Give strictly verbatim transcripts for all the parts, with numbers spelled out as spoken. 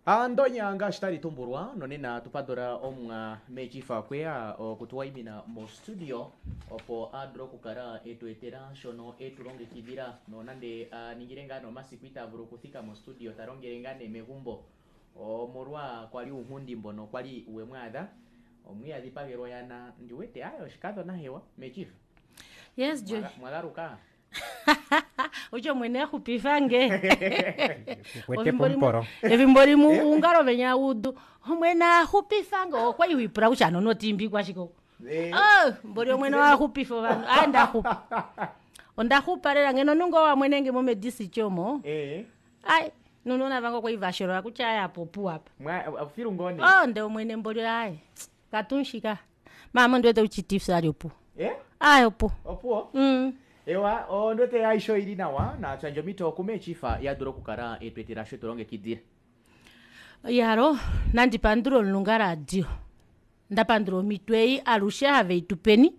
Andonya ngaashi tali tumbulwa nonena tupadula omwa mechifa kweya okutuwaimina mostudio opo a dule okukala etu etela shono etulongekidhila nonande aningile ngaa nomasiku ita vulu okuthika mostudio talongele ngaa nee megumbo omolwa kwali uunghundi mbono kwali wemwaadha omwiiyadhipagelwa oyana ndiwete aye oshikadhona hewa mechifa. Yes, Joy. Mwagaluka Utyo omwene axupifange Kwete pomupolo. efimbo limwe ungalo venya udu omwene axupifange okwali wipula kutya ano notiimbi kwashike oku Eh. Oh, mboli omwene waxupifa ovanhu aye ndaxupa ondaxupa lela ngeno nungo wamwenenge momedisichi omo Eh. ai nunona vange okwali vasholola kutya aye apa opuwo apa Mwa filu ngoo nee. oh nde omwene mboli aye katunshika mama ondiwete kutya tifs ali opuwo Eh? aye opuwo Opuwo? mm. Ewa ondwete aishe oili nawa natswandje omito kumechifa yadula okukala etwetela sho etulongekidhila. Yalo nandipandula omulunga radio ndapandula omito ei alushe have itupeni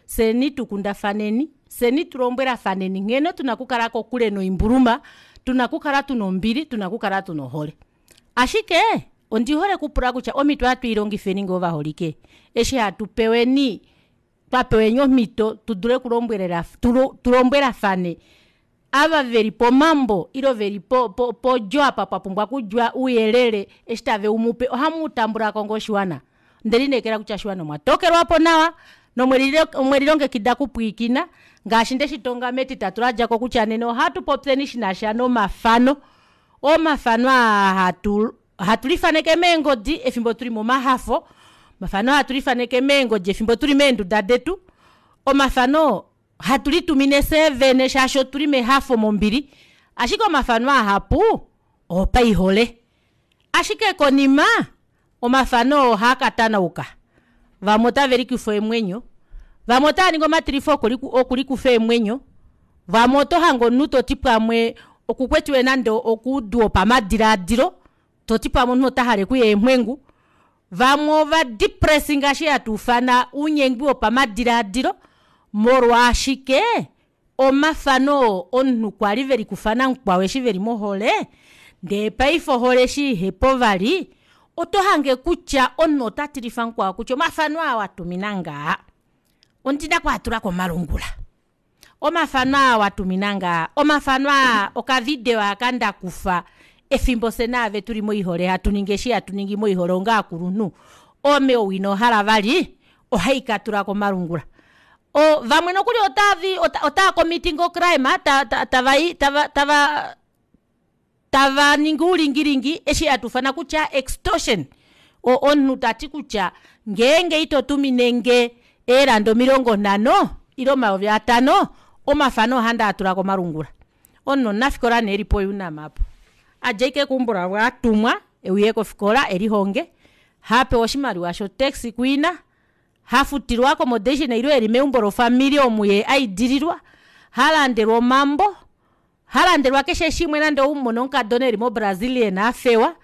fyeni tukundafaneni fyeni tulombwelafaneni nghene tuna okukala kokule noimbuluma tuna okukala tuna ombili tuna okukala tuna ohole ashike ondihole okupula kutya omito ohatu ilongifeni ngoo vaholike eshi hatu peweni twapeweni omito tudule okulombwelela tulombwelafane ava veli pomambo ile veli po- po podjo apa papumbwa okudja ouyelele eshi taveumupe ohamuutambulako ngoo oshiwana ondelineekela kutya oshiwana omwatokelwapo nawa nomwelilongekida okupwiikina ngaashi ndeshitonga metitatu ladjako kutya nena ohatupopyeni shinasha nomafano omafano aa hatu hatulifaneke meengodi efimbo tuli momahafo omafano hatulifaneke meengodi efimbo tuli meenduda detu omafano hatulitumine fyee vene shaashi otuli mehafo mombili ashike omafano ahapu opaihole ashike konima omafano oo ohaakatanauka vamwe otavelikufa eemwenyo vamwe otavaningi omatilifo okulikufa eemwenyo vamwe otohange omunhu toti pamwe okukwetiwe nande okoudu wopamadilaadilo toti pamwe omunhu otahale okuya eemwengu vamwe ova depressing ngaashi hatuufana ounyengwi wopamadilaadilo molwaashike omafano oo omunhu kwali velikufa namukwao eshi veli mohole ndee paife ohole eshi ihepo vali otohange kutya omunhu otatilifa mukwao kutya omafano aa watuminange aa ondina okwaatula komalungula omafano aa watuminange aa omafano aa oka video aaka ndakufa efimbo fyee naave tuli moihole hatuningi eshi hatuningi moihole onga ovakulunhu ame ou inohala vali ohaikatula komalungula oo vamwe nokuli otaavi ota committing o crime tavai tava tava tavaningi oulingilingi eshi hatuufana kutya extortion omunhu tati kutya ngeenge ito tuminenge ee rand omilongo nhano ile omayovi atano omafano ohandi atula komalungula omunhu omunafikola nee eli po unam aapo adja ashike keumbo lavo atumwa euye kofikola elihonge hapewa oshimaliwa sho taxi kuina hafutilwa o accommodation ile eli meumbo lofamili omu yee aidililwa halandelwa omambo halandelwa keshe shimwe nande oumone omukadona eli mo brazilian afewa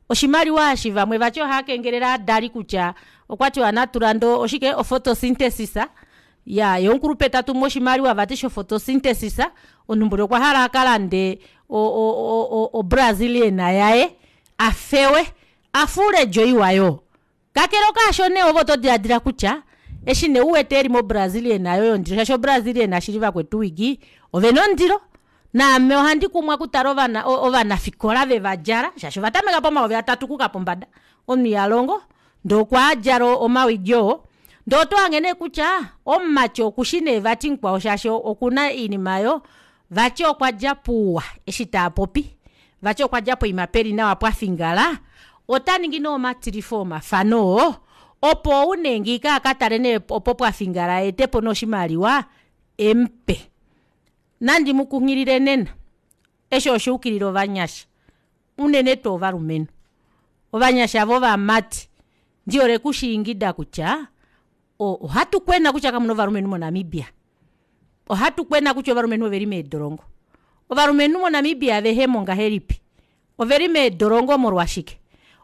oshimaliwa eshi vamwe vati ohaakengelele ovadali kutya okwatiwa natulande oshike o photosynthesis iyaa yee omukulupe tatumu oshimaliwa vati sho photosynthesis omunhu mboli okwahala akalande o- o- o- o brazilian yaye afewe afuule odjo iwa yoo kakele kaasho nee ove otodilaadila kutya eshi nee uwete eli mo brazilian yaye yondilo shaashi o brazilian shili vakwetu owigi ovena ondilo naame ohandi kumwa okutala ovana ovanafikola vevadjala shaashi ovatameka pomayovi atatu okuuka pombada omunhu ihalongo ndee okwaadjala omawigi oo ndee otohange neekutya omumati okushi nee vati mukwao shaashi okuna oinima aayo vati okwadja pouwa eshi taapopi vati okwadja poima peli nawa pwafingala otaningi nee omatilifo omafano oo opo ou nee akatale nee opo pwafingala aetepo nee oshimaliwa emupe nandimukunghilile nena eshi oshuukilila ovanyasha unene tuu ovalumenhu ovanyasha vovamati ndihole okushiingida kutya ohatu kwena kutya kamuna ovalumenhu mo namibia ohatu kwena kutya ovalumenhu oveli meedolongo ovalumenhu mo namibia vehemo ngahelipi oveli meedolongo molwashike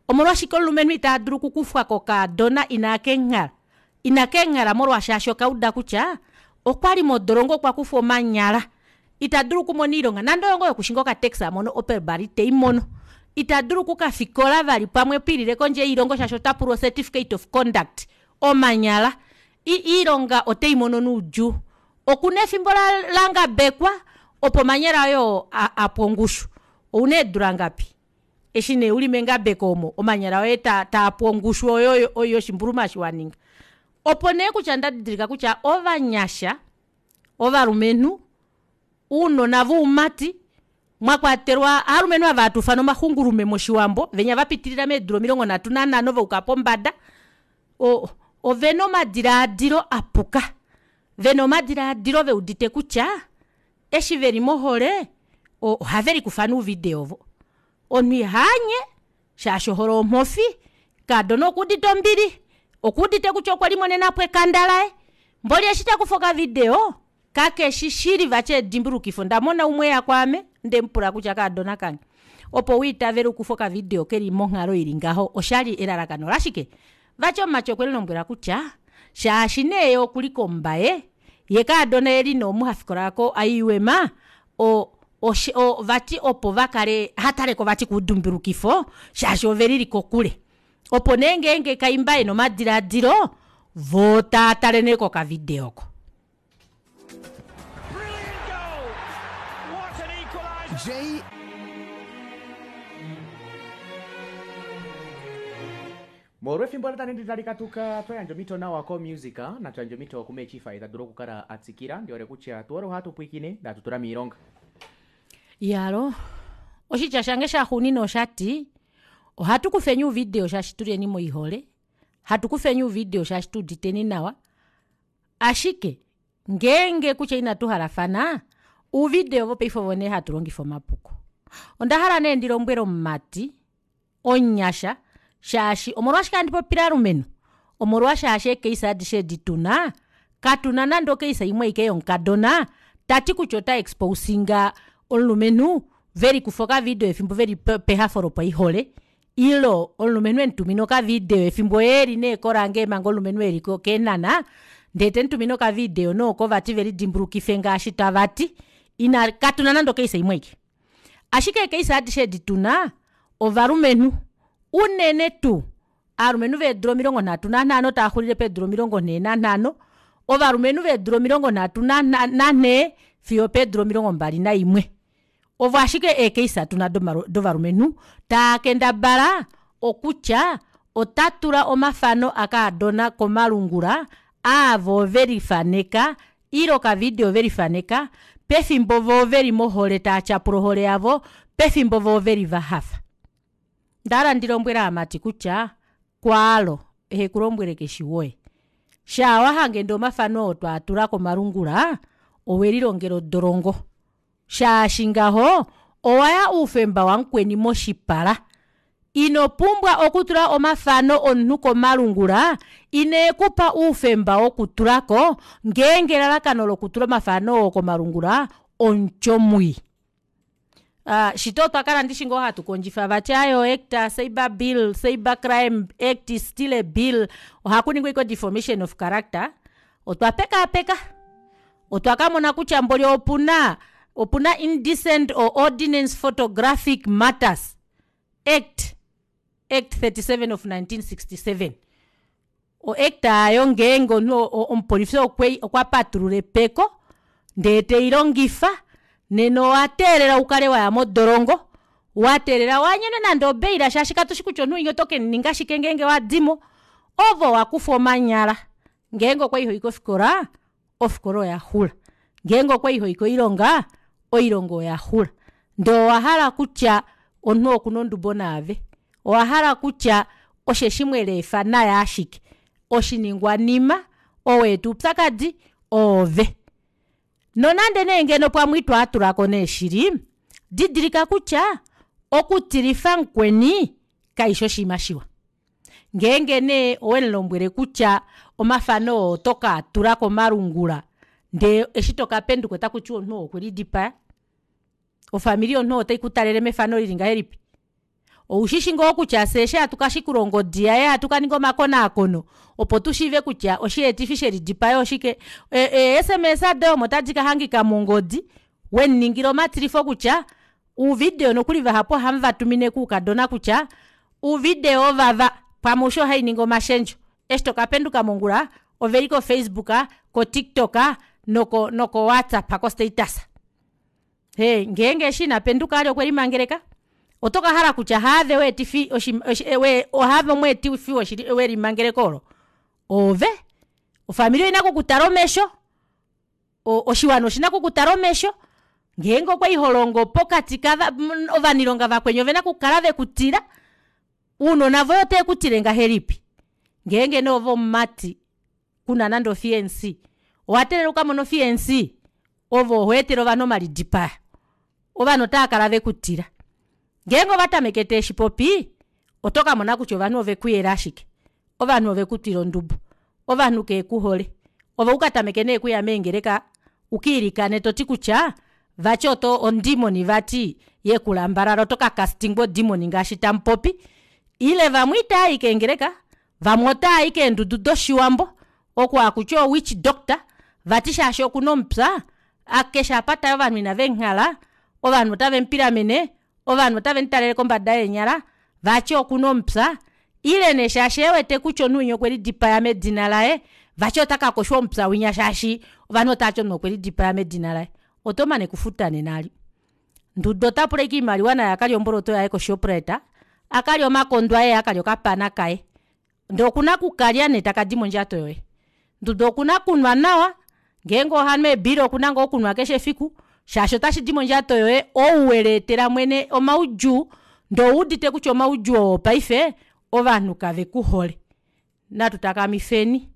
omolwashike omulumenhu itadulu okukufwa kokaadona ina kenghala ina kenghala molwaashi okauda kutya okwali modolongo okwakufwa omanyala itadulu okumona oilonga nande oyo ngoo yokushinga oka taxi amono opel bar iteimono. Itadulu okukafikola vali pamwe piilile kondje yoilongo shaashi otapulwa o certificate of conduct. Omanyala iilonga oteimono noudjuu okuna efimbo langabekwa opo omanyala oye oo apwe ongushu ouna eedula ngapi eshi nee uli mengabeko omo omanyala oye taapu ongushu oyo yoshimbuluma eshi waninga opo neekutya ndadidilika kutya ovanyasha ovalumenhu ounona voumati mwakwatelwa ovalumenhu ava hatuufana omaxungulume moshiwambo venya vapitilila meedula omilongo nhatu nanhano vayuka pombada o- ovena omadilaadilo apuka vena omadilaadilo veudite kutya eshi veli mohole ohavelikufa nee ouvideo ovo omunhu ihaanye shaashi ohole omofi kaadona okuudite ombili okuudite kutya okwelimonenapo ekanda laye mboli eshi takufa oka video kakeshi shili vati edimbulukifo ondamona umwe eya kwaame ondemupula kutya kaadona kange opo wiitavele ukufe oka video keli monghalo ili ngaho oshali elalakano olashike vati omumati okwemulombwela kutya shaashi nee yee okuli kombaye yee kaadona eli nee omu hafikola ko I U M o- o vati opo vakale ohataleko vati koudimbulukifo shaashi ovelili kokule opo nee ngenge kaimba ena omadilaadilo voo taatale nee kokavideo oko. J Molwa efimbo tali tali katuka twayandja omito nawa ko music natuyandja omito kumechifa itadulu okukala atsikila ndiwere kutya tuwere ohatu pwiikine datutula miilonga. Iyalo oshitya shange shaxuunina oshati ohatu kufeni ouvideo shaashi tulyeni moihole hatu kufeni ouvideo shaashi tuuditeni nawa ashike ngeenge kutya ina tuhalafana ouvideo vopaife ovo nee hatulongifa omapuko ondahala nee ndilombwele omumati omunyasha shaashi omolwashike handi popile ovalumenhu omolwa shaashi ee case adishe edi tuna katuna nande o case imwe aike yomukadona tati kutya ota exposinga omulumenhu velikufa okavideo efimbo veli pehafo lopaihole ile omulumenhu emutumina okavideo efimbo yee eli nee korange manga omulumenhu eli keenhana ndee temutumine okavideo nee oko vati velidimbulukife ngaashi tavati ina katuna nande o case imwe aike ashike ee case adishe edi tuna ovalumenhu unene tuu ovalumenhu veedula omilongo nhatu nanhano taaxulile peedula omilongo nhee nanhano ovalumenhu veedula omilongo nhatu nanhee fiyo opeedula omilongo mbali naimwe ovo ashike ee case tuna dovalumenhu taakendabala okutya otatula omafano akaadona komalungula aavo velifaneka ile okavideo velifaneka pefimbo voo veli mohole taatyapula ohole yavo pefimbo voo veli vahafa ondahala ndilombwele ovamati kutya kwaalo ehekulombwele keshi woye shaa wahange ndee omafano oo twaatula komalungula owelilongela odolongo shaashi ngaho owaya oufemba wamukweni moshipala inopumbwa okutula omafano omunhu komalungula ineekupa oufemba wokutulako ngeenge elalakano lokutula omafano oo komalungula omutyo mwii aa shito otwakala ndishi ngoo hatu kondjifa vati aaye o act cyber bill cyber crime act still a bill ohakuningwa ashike o deformation of character otwa pekaapeka otwakamona kutya mboli opuna opuna indecent or ordinance photographic matters act act thirty seven of nineteen sixty seven o act aayo ngeenge omunhu omupolifi okwa patulula epeko ndee teilongifa nena owateelelwa ukale waya modolongo wateelela waanyenwe nande obail shaashi katushi kutya omunhu winya oto kemuninga shike ngeenge wadimo ove owakufwa omanyala ngeenge okwali hoyi kofikola ofikola oyaxula ngeenge okwali hoyi koilonga oilonga oyaxula ndee owahala kutya omunhu okuna odubo naave owahala kutya osheshi mweleefa naye ashike oshiningwanima ou waeta oupyakadi oove nonande nee ngeno pamwe itwaatulako nee shili didilika kutya okutilifa mukweni kaifi oshiima shiwa ngeenge nee owemulombwele kutya omafano oo oto kaatula komalungula ndee eshi tokapenduka otakutiwa omunhu ou okwelidipaya ofamili yomunhu oo otaikutalele mefano lili ngahelipi oushishi ngoo kutya fyee eshi hatu kashikula ongodi yaye hatukaninga omakonaakono opo tushiive kutya osheetifi shelidipayo oshike ee- sms doye omo tadi kahangika mongodi wemuningila omatilifo kutya Ouvideo nokuli vahapu ohamuvatumine koukadona kutya ouvideo ovava pamwe osho hainingi omashendjo eshi tokapenduka mongula oveli ko facebook ko tiktok noko noko whatsapp ko status ee ngeenge eshi inapenduka vali okwelimangeleka otokahala kutya haave weetifi haave omweetifi welimangeleko olo oove ofamili oina okukutala omesho oshiwana oshina okukutala omesho ngeenge okwali holongo pokati kava ovanailonga vakweni ovena okukala vekutila ounona voye otavekutile ngahelipi ngeenge nee oove omumati kuna nande o fianc owateelela ukamone o fianc ove ohoetele ovanhu omalidipayo ovanhu otaakala vekutila ngeenge ovatameke taashipopi otokamona kutya ovanhu ovekuyela ashike ovanhu ovekutwila ondubo ovanhu kevekuhole ove ukatameke nee okuya meengeleka ukailikane toti kutya vati ondemoni vati yekulambalala oto ka castingwa odemon ngaashi tamupopi ile vamwe itavai keengeleka vamwe otavai keendudu doshiwambo oko hakuti oo witch doctor vati shaashi okuna omupya keshe apa tayi ovanhu ina vemuhala ovanhu ota vemupilamene ovanhu ota vemutalele kombada yeenyala vati okuna omupya ile nee shaashi ewete kutya omunhu winya okwelidipaya medina laye vati otakakoshwa omupya winya shaashi ovanhu otavati omunhu okwelidipaya medina laye otomane okufuta nena eli nduda otapula ashike oimaliwa naye akalye omboloto yaye ko shoprite akalye omakondo aye yee akalye okapana kaye ndee okuna okukalya nee takadi mondjato yoye nduda okuna okunwa nawa ngeenge ohanu ee beer okuna ngoo okunwa keshe efiku shaashi otashidi mondjato yoye ou weleetela mwene omaudjuu ndee owuudite kutya omaudjuu oo paife ovanhu kavekuhole natu takamifeni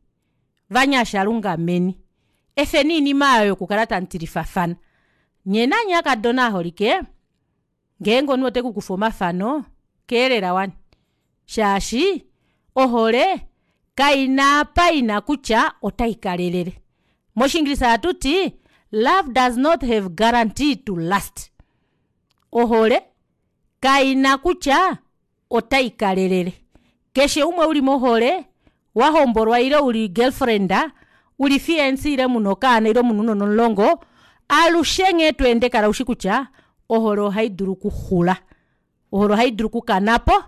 ovanyasha lungameni efeni oinima aayo yokukala tamutilifafana nyee nanye aakadona aaholike ngeenge omunhu otekukufa omafano kelela wani shaashi ohole kaina apa ina kutya ota ikalelele moshingilisa ohatuti love does not have guarantee to last ohole kaina kutya ota ikalelele keshe umwe uli mohole wahombolwa ile uli girlfriend uli fianc ile muna okaana ile muna ounona omulongo alushe nghee tweende kala ushi kutya ohole ohaidulu okuxula ohole ohaidulu okukanapo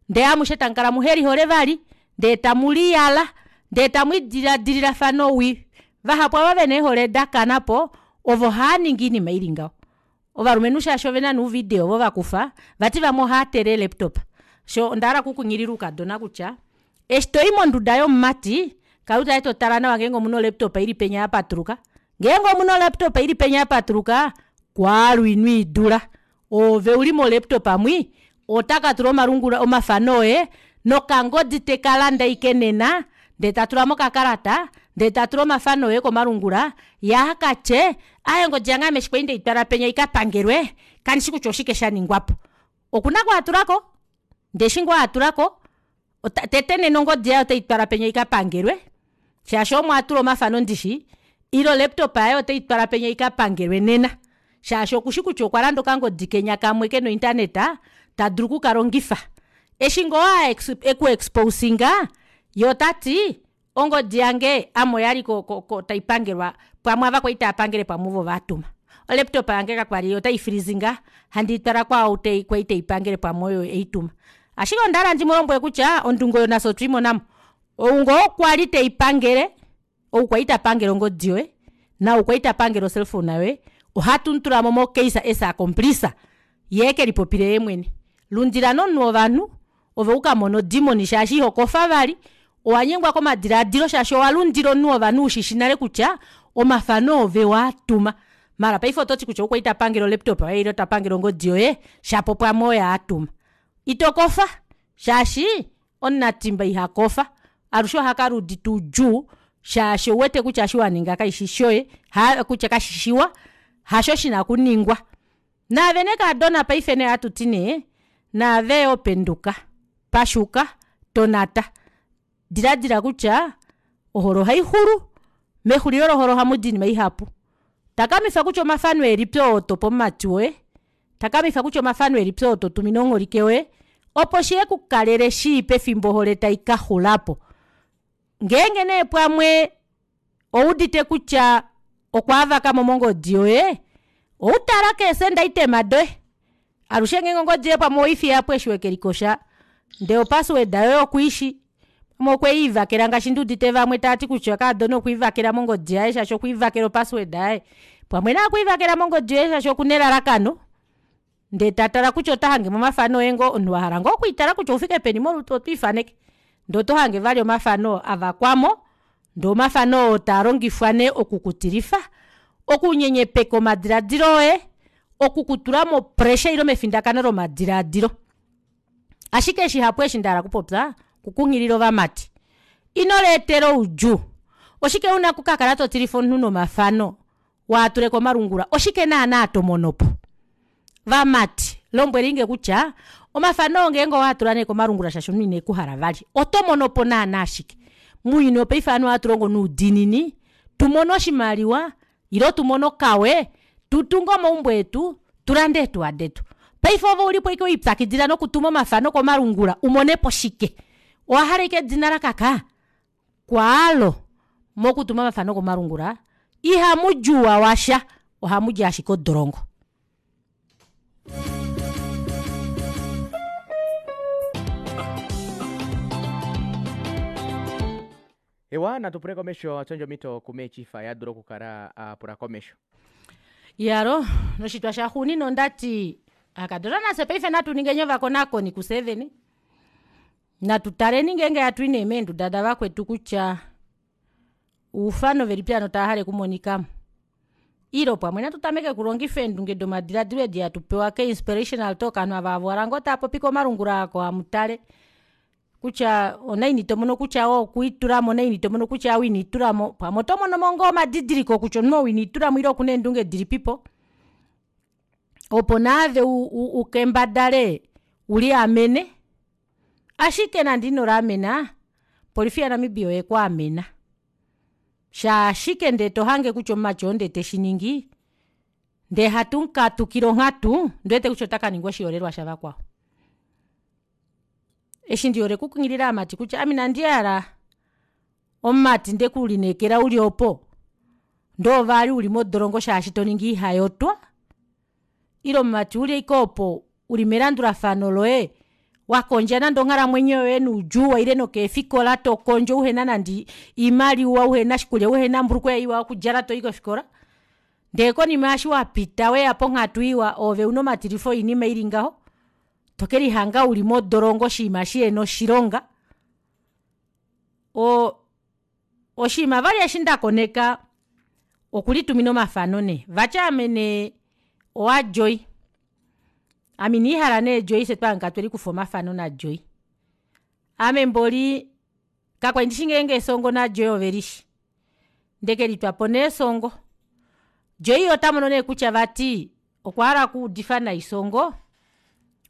ndee amushe tamukala muhelihole vali ndee tamuliyala ndee tamwidiladililafana owii vahapu ava vena eehole dakanapo ovo haaningi oinima ili ngaho ovalumenhu shaashi ovena nee ouvideo ovo vakufa vati vamwe ohaatele ee laptop shoo ondahala okukunghilila oukadona kutya eshi toyi monduda yomumati kala utale totale nawa ngenge omuna o laptop ili penya yapatuluka ngeenge omuna o laptop ili penya yapatuluka kwaalye inwiidula oove uli mo laptop mwii otakatula omalungula omafano oye nokangodi tekalande ashike nena ndee tatula mokakalata ndee tatula omafano oye komalungula yee akatye aaye ongodi yange ame eshi kwali ndeitwala penya ikapangelwe kandishi kutya oshike shaningwapo okuna okwaatulako ndee eshi ngoo atulako tete nena ongodi yaye oteitwala penya ikapangelwe shaashi omo atula omafano ndishi ile o laptop yaye oteitwala penya ikapangelwe nena shaashi okushi kutya okwalanda okangodi kenya kamwe kena o internet tadulu okukalongifa eshi ngoo eku exposinga yee otati ongodi yange ame oyali ko- ko taipangelwa pamwe aava kwali taapangele pamwe ovo vatuma o laptop yange kakwali ota freezinga handiitwala kwaau kwali teipangele pamwe oye eituma ashike ondahala ndimulombwele kutya ondunge oyo nafye otwiimonamo ou ngoo kwali teipangele ou kwali tapangele ongodi yoye naau kwali tapangele o cellphone yoye ohatu mutulamo mo case as accomplice yee ekelipopile yeemwene lundila nee omunhu wovanhu ove ukamone odemon shaashi ihokofa vali owanyengwa komadilaadilo shaashi owalundila omunhu wovanhu ushishi nale kutya omafano oove waatuma maala paife ototi kutya ou kwali tapangele o laptop yoye ile tapangele ongodi yoye shapo pamwe oye atuma itokofa shaashi omunatimba ihakofa alushe ohakala eudite oudjuu shaashi ouwete kutya eshi waninga kashishi shoye kutya kashishiwa hasho shina okuningwa naave nee kaadona paife nee ohatuti nee naaveyo penduka pashuka tonata diladila kutya ohole ohaixulu mexulilo lohole ohamudi oinima ihapu takamifa kutya omafano elipi oo tope omumati woye takamifa kutya omafano elipi oo totumine omuholike woye opo shihekukalele shii pefimbo ohole taikaxulapo ngeenge nee pamwe owuudite kutya okwaavakamo mongodi yoye outala kee send item doye. Alushe ngeenge ongodi yoye pamwe oweifiyapo eshi wekelikosha ndee opassword yoye okuishi pamwe okweivakela ngaashi nduudite vamwe taati kutya kaadona okwiivakela mongodi yaye shaashi okwiivakela o password yaye pamwe nee okwiivakela mongodi yoye shaashi okuna elalakano ndee tatala kutya otahangemo omafano oye ngoo omunhu wahala ngoo okwiitala kutya oufike peni molutu otwiifaneke ndee otohange vali omafano avakwamo ndee omafano oo taalongifwa nee oku kutilifa okunyenyepeka omadilaadilo oye okukutula mo pressure ile mefindakano lomadilaadilo ashike shihapu eshi ndahala okupopya oku kunghilila ovamati ino leetela oudjuu oshike una okukakala totilifa omunhu nomafano waatule komalungula oshike naana tomonopo vamati lombweleinge kutya omafano oo ngenge owaatula nee komalungula shaashi omunhu inekuhala vali otomonopo naana shike mounyuni wopaife ovanhu ohatulongo noudiinini tumone oshimaliwa ile tumone okawe tutunge omaumbo etu tulande eetuwa detu paife ove oulipo ashike welipyakidila nokutuma omafano komalungula umonepo shike owahala ashike edina lakaka kwaalo mokutuma omafano komalungula ihamudi ouwa washa ohamudi ashike odolongo. Ewa natupule komesho atuyandje omito ku chief adule okukala apula komesho. Iyaloo noshitwa shaxuuninwa ondati aakadona nafye paife natuningeni ovakonakoni kufyee vene natu taleni ngenge hatui nee meenduda davakwetu kutya oufano velipi hano tavahale okumonikamo ile pamwe natu tameke okulongifa eendunge domadilaadilo edi hatu pewa kee inspirational talk ovanhu ava havuuhala ngoo taapopi komalungula aako hamutale kutya onaini tomono kutya ou okwiitulamo onaini tomono kutya ou inelitulamo pamwe otomonomo ngoo omadidiliko kutya omunhu ou inelitulamo ile okuna eendunge dilipipo opo naave ukendabale uliamene ashike nande inoliamena opolifi ya namibia oyekwaamena shaashike ndee tohange kutya omumati oo ndee teshiningi ndee hatumukatukile onghatu ondiwete kutya otakaninga oshiholelwa shavakwao eshi ndihole okukunghilila ovamati kutya ame inandi hala omumati ndekulineekela uli opo ndee ove vali uli modolongo shaashi toningi oihayotwa ile omumati uli ashike oopo uli melandulafano loye wakondja nande onghalamwenyo yoye noudjuu waile nokeefikola tokondjo uhena nande oimaliwa uhena oshikulya uhena ombulukweva iwa yokudjala toyi kofikola ndee konima eshi wapita weya ponghatu iwa ove una omatilifo oinima ili ngaho tokelihanga uli modolongo oshiima shihena oshilonga oo oshiima vali eshi ndakoneka okulitumina omafano nee vati ame nee owa joy ame iniihala nee joy fyee twahangika twelikufa omafano na joy ame mboli kakwali ndishi ngenge songo na joy ovelishi ndekelitwapo nee songo joy otamono nee kutya vati okwahala okuudifa nai songo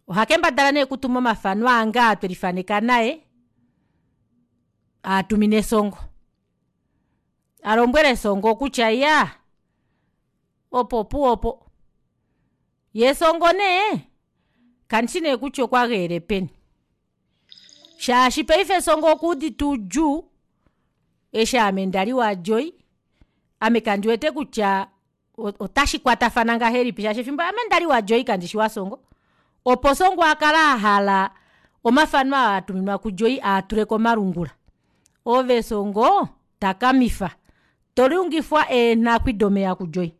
ohakendabala nee okutuma omafano ange aa twelifaneka naye atumine songo alombwele songo kutya iyaa opo opuwo opo yee songo nee kandishi nee kutya okwageyele peni shaashi paife songo okuudite oudjuu eshi ame ndali wa joy ame kandiwete kutya ota shikwatafana ngahelipi shaashi efimbo ame ndali wa joy kandishi wa songo opo songo akale ahala omafano aa atuminwa ku joy aatule komalungula ove songo takamifa tolungifwa eenghakwi domeva ku joy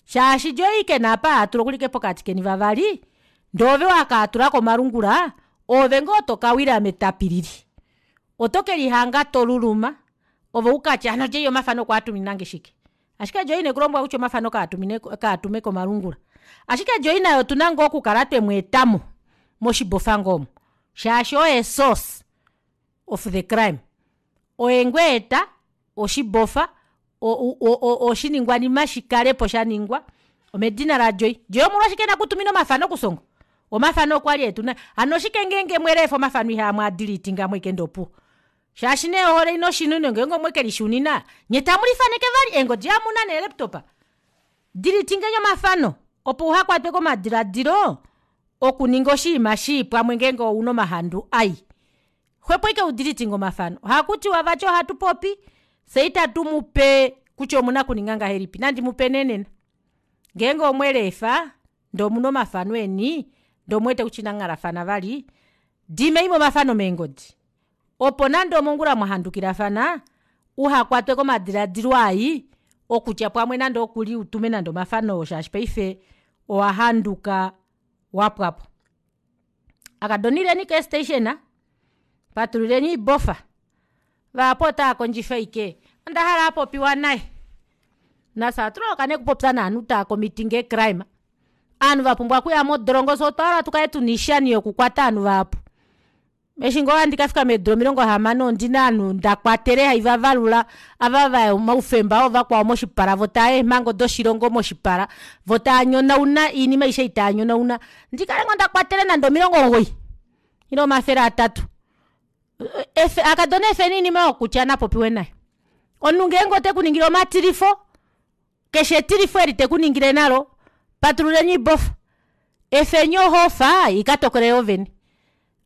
shaashi joy kena apa heatula okuli ashike pokati keni vavali ndee ove wakaatula komalungula oove ngoo tokawila metapilili oto kelihanga toluluma ove ukatye hano joy omafano okwaatuminange shike ashike joy inekulombwela kutya omafano kaatume komalungula ashike joy naye otuna ngoo okukala twemweetamo moshibofa ngoo omu shaashi oye source of the crime oye ngoo aeta oshibofa o- o- oshiningwanima shikalepo shaningwa omedina la joy. Joy omolwashike ena okutuminwa omafano ku songo omafano okwali etuna hano oshike ngenge mweleefa omafano ihamwaadilitinga mo ashike ndee opuwo shaashi nee ohole haina oshinwino ngenge omwekelishunina nyee tamulifaneke vali eengodi omuna nee laptop dilitingeni omafano opo uhakwatwe komadilaadilo okuninga oshiima shii pamwe ngenge ouna omahandu mai xwepo ashike udilitinge omafano ohakutiwa vati ohatupopi fyee itatumupe kutya omuna okuninga ngahelipi nandimupe nee nena ngenge omweleefa ndee omuna omafano eni Ndee omuwete kutya inamunghalafana vali dimeimo omafano meengodi opo nande omongula mwahandukilafana uhakwatwe komadilaadilo ayi okutya pamwe nande okuli utume nande omafano oo shaashi paife owahanduka wapwapo akadona ileni kee station patululeni oibofa vahapu otaakondjifa ashike ondahala apopiwa naye nafye ohatuloloka nee okupopya novanhu taa committing ee crime ovanhu vapumbwa okuya modolongo fyee otwa hala tukale tuna oishani yoku kwata ovanhu vahapu eshi ngoo handi kafika meedula omilongo hamano ondina ovanhu ndakwatele haivavalula ava vaya omaufemba oovakwao moshipala voo taayi eemhango doshilongo moshipala voo taanyonauna oinima aishe ei taanyonauna ndikale ngoo ndakwatele nande omilongo omugoyi ile omafele atatu akadona efeni oinima oyo kutya napopiwe naye omunhu ngeenge otekuningile omatilifo keshe etilifo eli tekuningile nalo patululeni oibofa efeni ohofa ikatokole yoovene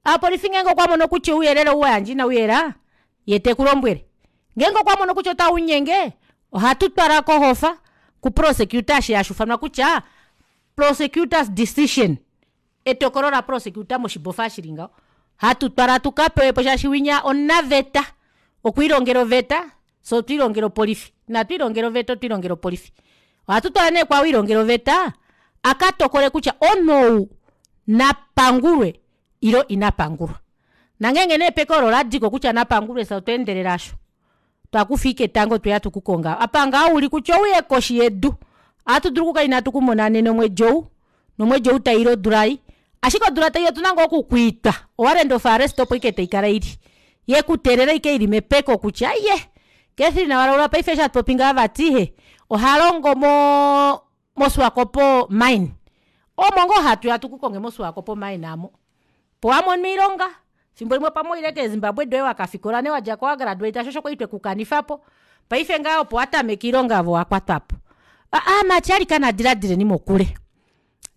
ovapolifi ngeenge okwamono kutya ouyelele ou wayandja inauyela yee tekulombwele ngeenge okwamono kutya otaunyenge ohatutwala kohofa ku prosecutor eshi hashuufanwa kutya prosecutors decision etokolo la prosecutor moshibofa eshi shili ngaho hatutwala tukapewepo shaashi winya omunaveta okwiilongela oveta fyee otwiilongela opolifi ina twiilongela oveta otwiilongela opolifi ohatutwala nee kwaao elilongela oveta akatokole kutya omunhu ou napangulwe ile inapangulwa nongenge nee epeko olo oladiko kutya napangulwe fyee otwa endelela aasho twakufa ashike etango tweya tukukonge aapo apa ngoo uli kutya ouye koshi yedu ohatu dulu okukala ina tukumona nena omwedi ou nomwedi ou tauya ile odula ei ashike odula taiya otuna ngoo okukwiitwa o warrant of arrest opo ashike taikala ili yekuteelela ashike ili mepeko kutya aaye katrina walaula paife eshi hatupopi ngaha vati ee ohalongo moo mo swakop mine omo ngoo hatuya tukukonge mo swakop mine aamo opo wamono oilonga efimbo limwe pamwe owaile kee zimbabwe doye wakafikola nee wadjako wa graduate shoo osho kwali twekukanifapo paife ngaha opo watameke oilonga ove owakwatwapo aamati alikana diladileni mokule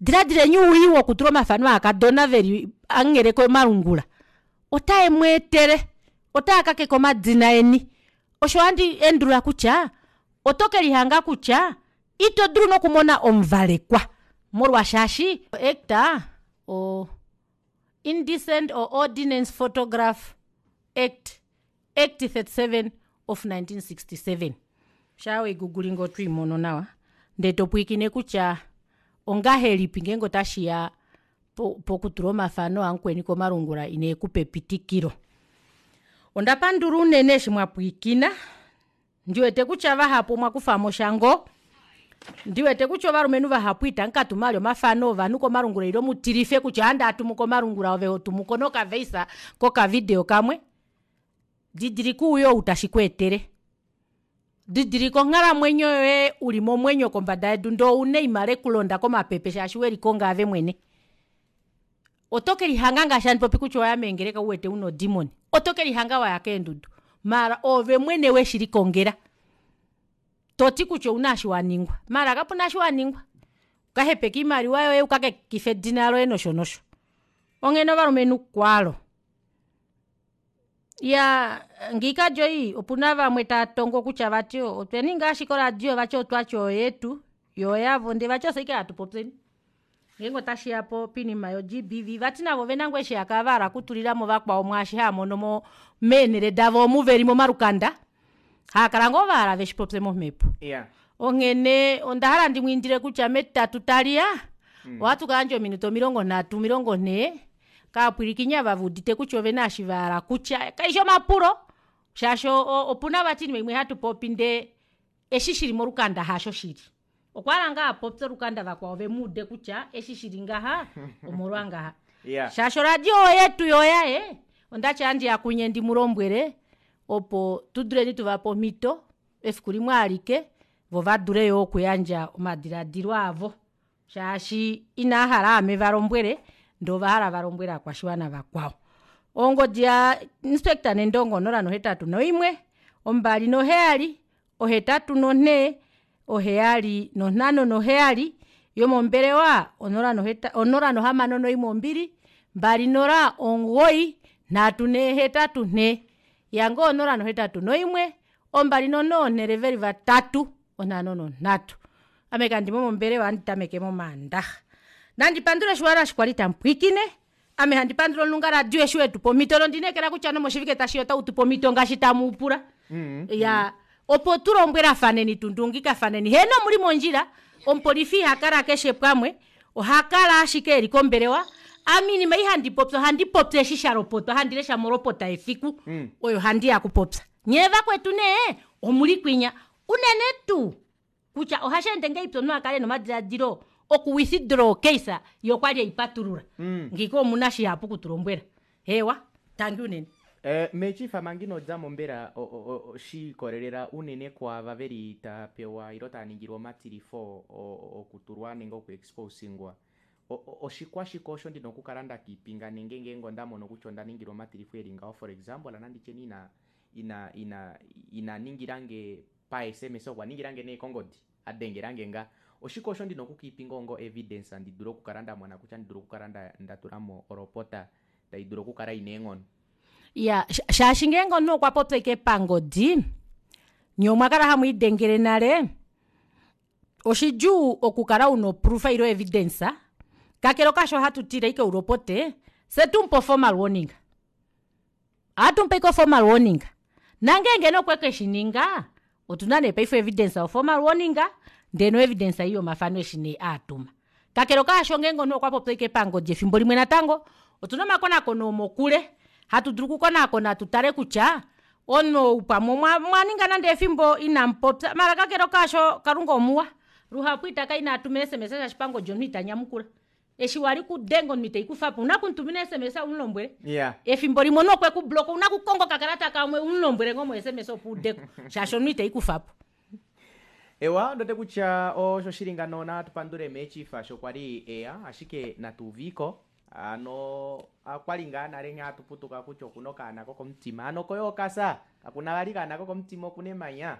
diladileni owii wokutula omafano oukadona veli hamunghele komalungula otaemweetele otaakakeke omadina eni osho handi endulula kutya oto kelihanga kutya ito dulu nokumona omuvalekwa molwa shaashi o act o indecent or ordinance photograph act act thirty seven of nineteen sixty seven shaa weigugulinga otwiimono nawa ndee topwiikine kutya ongahelipi ngenge otashiya pokutula omafano amukweni komalungula inekupa epitikilo ondapandula unene eshi mwapwiikina ndiwete kutya vahapu omwakufamosha ngoo ndiwete kutya ovalumenhu vahapu itamukatuma vali omafano ovanhu komalungula ile mutilife kutya ohandi atumu komalungula ove hotumuko noka voice koka video kamwe didilika owii ou tashikweetele didilika onghalamwenyo yoye uli momwenyo kombada yedu ndee ouna oima lekulonda komapepe shaashi welikonga ove mwene oto kelihanga ngaashi handi popi kutya owaya meengeleka uwete una odemon oto kelihanga waya keendudu maala oove mwene weshilikongela toti kutya ouna eshi waningwa maala kapuna eshi waningwa okahepeke oimaliwa yoye ukakekife edina loye nosho nosho onghene ovalumenhu kwalo iyaa ngiika joy opuna vamwe taatongo kutya vati otwaninga ashike oradio vati otwati oyetu yoo oyavo ndee vati ofye ashike hatu popyeni ngeenge otashiya poinima yo G B V vati navo ovena ngoo eshi haakala vahala okutulilamo vakwao mwaashi haamono mo meenele davo omu veli momalukanda haakala ngoo vahala veshipopye momepo Iyaa onghene ondahala ndimwiindile kutya metitatu taliya ohatu kayandja ominute omilongo nhatu omilongo nhee kaapwilikini ava veudite kutya ovena eshi vahala kutya kaifi omapulo shaashi opuna vati oinima imwe hatupopi ndee eshi shili molukanda hasho shili okwahala ngoo apopye olukanda vakwao vemuude kutya eshi shili ngaha omolwa ngaha Iyaa shaashi oradio oyetu yoo oyaye ondati ohandiya kunye ndimulombwele opo tuduleni tuvape omito efiku limwe alike voo vadule yoo okuyandja omadilaadilo avo shaashi inaahala aame valombwele ndee ovahala valombwele ovakwashiwana vakwao ongodi ya inspector nendongo onola nohetatu noimwe ombali noheyali ohetatu nonhee oheyali nonhano noheyali yomombelewa onola noheta onola nohamano noimwe ombili mbali nola omugoyi nhatu neehetatu nhee yange onola nohetatu noimwe ombali nonhe ounhele veli vatatu onhano nonhatu ame kandimo mombelewa ohandi tameke momandaxa. Nandi pandule oshiwana eshi kwali tamupwiikine ame handi pandula omulunga radio eshi wetupa omito nondineekela kutya nomoshivike tashiya otautupe omito ngaashi tamuupula iyaa opo tulombwelafaneni tundungikafaneni heno omuli mondjila omupolifi ihakala keshe pamwe ohakala ashike eli kombelewa. Ame oinima ei handi popi ohandi popi eshi shalopotwa handi lesha molopota yefiku oyo handiya okupopya nyee vakwetu nee omuli kwinya. Unene tuu kutya ohasheende ngahelipi omunhu akale ena omadilaadilo oku withdraw ocase yee okwali eipatulula ngiika omuna shihapu okutulombwela hewa tangi unene. Mee chief manga inodjamo mbela shiikolelela unene kwaava veli tapewa ile taaningilwa omatilifo okutulwa nenge oku exposingwa oshikwashike osho ndina okukala ndakiipinga nenge ngeenge onda kutya onda ningilwa omatilifo eli ngaho? For example nanditye ina ina ina ina ningilange pa S M S, okwa ningilange nee kongodi, adengelange nga, oshike osho ndina okukiipinga ongo evidence ndi dule okukala ndamona kutya ndi dule okukala ndatulamo olopota taidulu okukala ina eenghono? Iya, shaashi ngeenge omunhu okwa popya ashike pangodi nyee omwakala hamwiidengele nale oshidjuu okukala una oproof ile evidence. Kakele kaasho ohatu tile ashike ulopote fyee tumupe o formal warning, ohatumupe ashike o formal warning nongenge nee okwekeshininga otuna nee paife o evidence yo formal warning ndee no evidence ei yomafano eshi nee aatuma. Kakele kaasho ngeenge omunhu okwapopya ashike pangodi efimbo limwe natango otuna omakonakono omokule hatu dulu okukonakona tutale kutya omunhu ou pamwe omwaninga nande efimbo inamupopya maala kakele kaasho kalunga omuwa luhapu itaka inatuma ee sms shaashi pangodi omunhu itanyamukula eshi wali kudenga omunhu iteikufapo ouna okumutumina o sms umulombwele. Iyaa efimbo limwe omunhu okweku block ouna okukonga okakalata kamwe umulombwele ngoo mo sms opo udeko shaashi omunhu iteikufapo. Ewa ondiwete kutya osho shili ngano natu pandule mee chief sho kwali eya ashike natuuviiko hano okwali ngaa nale nghee hatuputuka kutya okuna okaana kokomutima hano koye okasa kakuna vali okaana kokomutima okuna emanya.